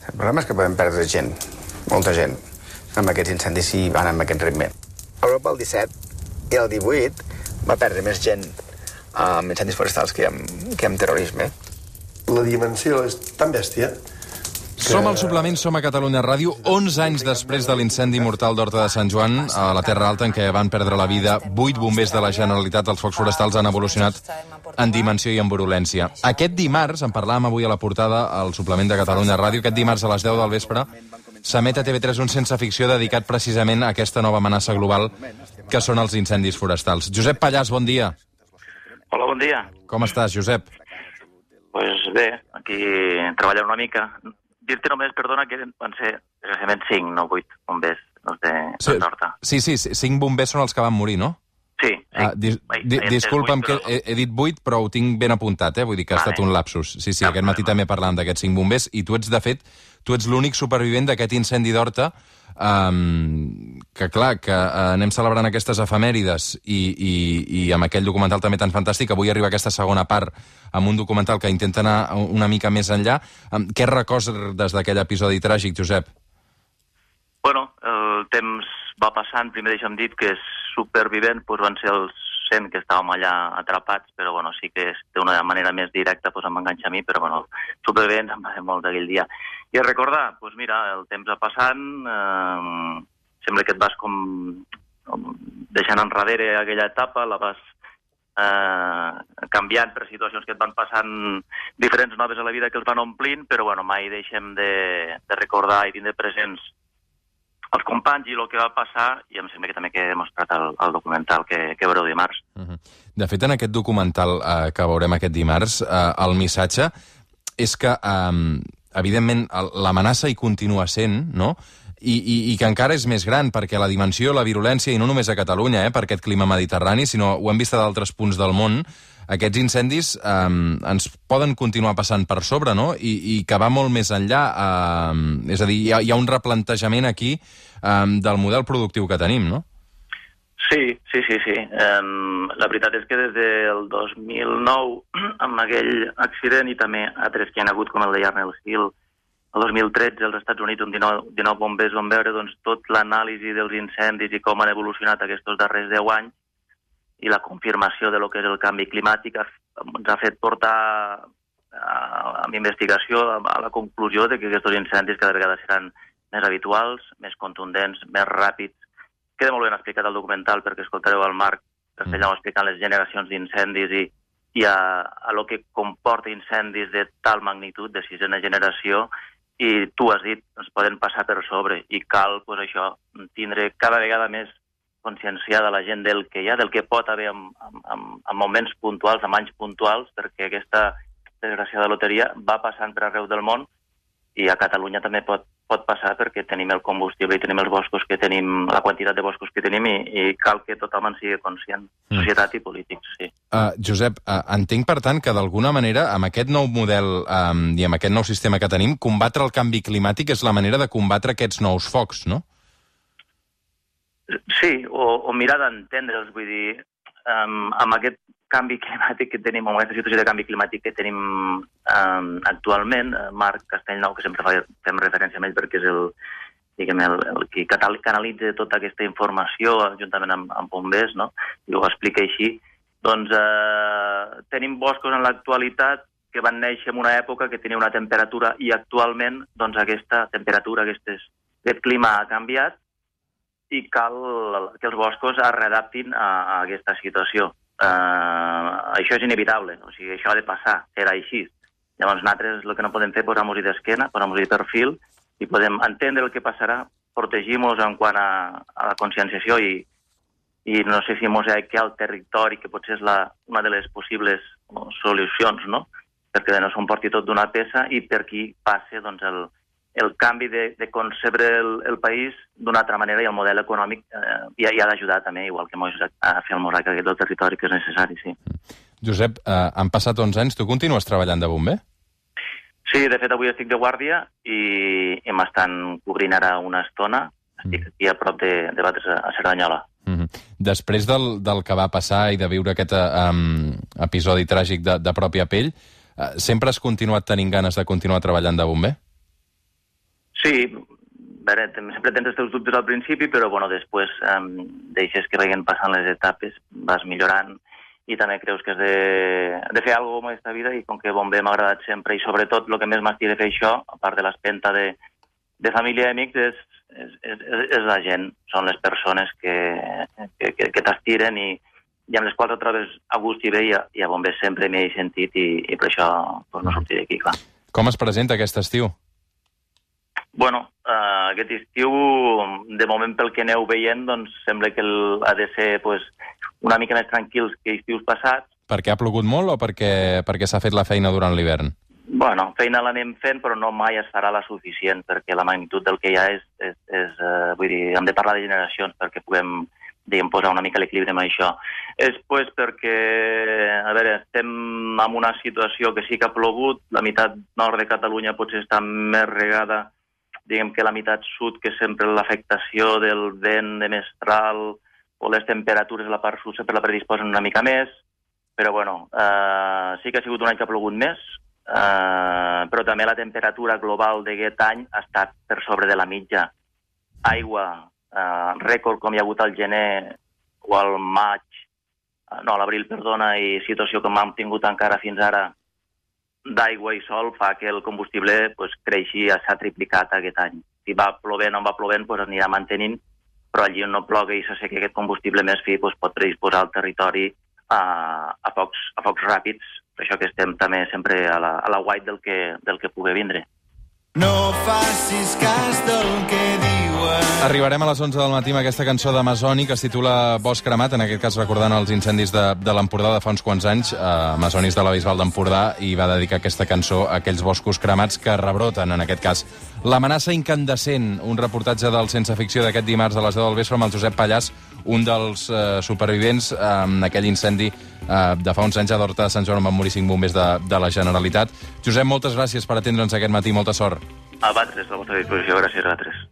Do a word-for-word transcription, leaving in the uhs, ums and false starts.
El problema és que podem perdre gent, molta gent, amb aquests incendis si van amb aquest ritme. Europa el disset i el divuit va perdre més gent amb incendis forestals que amb, que amb terrorisme. La dimensió és tan bèstia que... Som al suplement, som a Catalunya Ràdio, onze anys després de l'incendi mortal d'Horta de Sant Joan, a la Terra Alta, en què van perdre la vida vuit bombers de la Generalitat. Els focs forestals han evolucionat en dimensió i en virulència. Aquest dimarts, en parlàvem avui a la portada, al suplement de Catalunya Ràdio, aquest dimarts a les deu del vespre, s'emet a T V tres un sense ficció dedicat precisament a aquesta nova amenaça global que són els incendis forestals. Josep Pallàs, bon dia. Hola, bon dia. Com estàs, Josep? Pues bé, aquí treballant una mica. Dir-te només, perdona, que van ser desgraciadament cinc, no vuit bombers els de Sí, Horta. sí, sí, cinc bombers són els que van morir, no? Sí, sí. Ah, dis, Ai, di, ai, disculpa'm vuit, que però- he, he dit vuit, però ho tinc ben apuntat, eh? Vull dir que ha Vale. estat un lapsus. Sí, sí, Cap aquest matí problema. també parlàvem d'aquests cinc bombers, i tu ets, de fet, tu ets l'únic supervivent d'aquest incendi d'Horta, um, que clar, que uh, anem celebrant aquestes efemèrides i, i, i amb aquell documental també tan fantàstic. Avui arriba aquesta segona part amb un documental que intenta anar una mica més enllà. Um, què recordes d'aquell episodi tràgic, Josep? Bueno, el temps va passant. Primer deixa'm dit que supervivent doncs van ser els cent que estàvem allà atrapats, però bueno, sí que d'una manera més directa doncs, em va enganxar a mi, però bueno, supervivents em va fer molt d'aquell dia. I a recordar, doncs mira, el temps va passant, eh, sembla que et vas com, com deixant enrere aquella etapa, la vas eh, canviant per situacions que et van passant diferents noves a la vida que els van omplint, però bueno, mai deixem de, de recordar i tindre presents els companys i el que va passar, i em sembla que també que he demostrat el, el documental que, que veureu dimarts. Uh-huh. De fet, en aquest documental eh, que veurem aquest dimarts, eh, el missatge és que, eh, evidentment, l'amenaça hi continua sent, no?, I, i, i que encara és més gran, perquè la dimensió, la virulència, i no només a Catalunya, eh, per aquest clima mediterrani, sinó ho hem vist a d'altres punts del món, aquests incendis eh, ens poden continuar passant per sobre, no?, I, i que va molt més enllà. Eh, és a dir, hi ha, hi ha un replantejament aquí eh, del model productiu que tenim, no? Sí, sí, sí, sí. Um, la veritat és que des del dos mil nou, amb aquell accident i també altres que hi ha hagut, com el de Yarnell Hill, el dos mil tretze als Estats Units, on dinou, dinou bombers van veure doncs, tot l'anàlisi dels incendis i com han evolucionat aquests darrers deu anys, i la confirmació de lo que és el canvi climàtic ens ha fet portar a, amb investigació a, a la conclusió de que aquests incendis cada vegada seran més habituals, més contundents, més ràpids. Queda molt ben explicat el documental perquè escoltareu el Marc Castellà explicant les generacions d'incendis i, i a, a lo que comporta incendis de tal magnitud, de sisena generació, i tu has dit, ens poden passar per sobre i cal, pues, això, tindre cada vegada més conscienciada la gent del que hi ha, del que pot haver en, en, en moments puntuals, en anys puntuals, perquè aquesta desgraciada loteria va passant per arreu del món i a Catalunya també pot, pot passar perquè tenim el combustible i tenim els boscos que tenim, la quantitat de boscos que tenim i, i cal que tothom en sigui conscient, societat i polítics, sí. Uh, Josep, uh, entenc, per tant, que d'alguna manera, amb aquest nou model um, i amb aquest nou sistema que tenim, combatre el canvi climàtic és la manera de combatre aquests nous focs, no? Sí, o, o mirar d'entendre'ls, vull dir, um, amb aquest canvi climàtic que tenim, amb aquesta situació de canvi climàtic que tenim um, actualment, Marc Castellnou, que sempre fa, fem referència a ell perquè és el, diguem, el, el que canalitza tota aquesta informació juntament amb, amb bombers, no?, i ho explica així, doncs eh, tenim boscos en l'actualitat que van néixer en una època que tenia una temperatura i actualment doncs aquesta temperatura, aquestes, aquest clima ha canviat i cal que els boscos es readaptin a, a aquesta situació. Uh, això és inevitable, o sigui, això ha de passar, serà així. Llavors nosaltres el que no podem fer és posar-nos-hi d'esquena, posar-nos-hi de perfil i podem entendre el que passarà, protegir-nos en quant a, a la conscienciació i, i no sé si mosaicar el territori, que potser és la, una de les possibles no, solucions, no?, perquè no s'emporti tot d'una peça i per qui passe doncs, el, el canvi de, de concebre el, el país d'una altra manera i el model econòmic eh, hi, hi ha d'ajudar també, igual que a fer el mosaic aquest del territori que és necessari, sí. Josep, eh, han passat onze anys, tu continues treballant de bomber? Sí, de fet avui estic de guàrdia i, i m'estan cobrint ara una estona, estic aquí a prop de, de Batres a Cerdanyola. Mm-hmm. Després del, del que va passar i de viure aquest um, episodi tràgic de, de pròpia pell, uh, sempre has continuat tenint ganes de continuar treballant de bomber? Sí, a veure, sempre tens els teus dubtes al principi, però bueno, després eh, deixes que vagin passant les etapes, vas millorant i també creus que has de, de fer alguna cosa en aquesta vida i com que Bomber m'ha agradat sempre i sobretot el que més m'estic de fer això, a part de l'espenta de, de família i amics, és, és, és, és la gent, són les persones que, que, que, que t'estiren i, i amb les quals et trobes a gust i bé i a, i a Bomber sempre m'hi he sentit i, i per això pues, no sortiré d'aquí, clar. Com es presenta aquest estiu? Bueno, uh, aquest estiu, de moment pel que aneu veient, doncs sembla que el, ha de ser pues, una mica més tranquils que estius passats. Perquè ha plogut molt o perquè, perquè s'ha fet la feina durant l'hivern? Bueno, feina l'anem fent, però no mai es farà la suficient, perquè la magnitud del que hi ha és... és, és uh, vull dir, hem de parlar de generacions perquè puguem diguem, posar una mica l'equilibri amb això. És pues, perquè, a veure, estem en una situació que sí que ha plogut, la meitat nord de Catalunya potser està més regada, diguem que la meitat sud, que sempre l'afectació del vent de mestral o les temperatures a la part sud sempre la predisposen una mica més, però bueno, eh, sí que ha sigut un any que ha plogut més, eh, però també la temperatura global d'aquest any ha estat per sobre de la mitja. Aigua, eh, rècord com hi ha hagut al gener o al maig, eh, no, a l'abril, perdona, i situació com hem tingut encara fins ara, d'aigua i sol fa que el combustible pues, creixi, s'ha triplicat aquest any. Si va plovent o no va plovent, pues, anirà mantenint, però allí on no ploga i s'assequi aquest combustible més fi pues, pot predisposar el territori a, a, focs, a focs ràpids. Per això que estem també sempre a la, a la guait del que, del que pugui vindre. No facis cas del que diuen. Arribarem a les onze del matí amb aquesta cançó d'Amazoni que es titula Bosc cremat, en aquest cas recordant els incendis de, de l'Empordà de fa uns quants anys. Uh, Amazonis de la Bisbal d'Empordà i va dedicar aquesta cançó a aquells boscos cremats que rebroten, en aquest cas. L'amenaça incandescent, un reportatge del Sense Ficció d'aquest dimarts a les deu del vespre amb el Josep Pallàs, un dels uh, supervivents en uh, aquell incendi uh, de fa uns anys a d'Horta de Sant Joan on van morir cinc bombers de, de la Generalitat. Josep, moltes gràcies per atendre'ns aquest matí, molta sort. A vosaltres, a la vostra disposició, gràcies a vosaltres.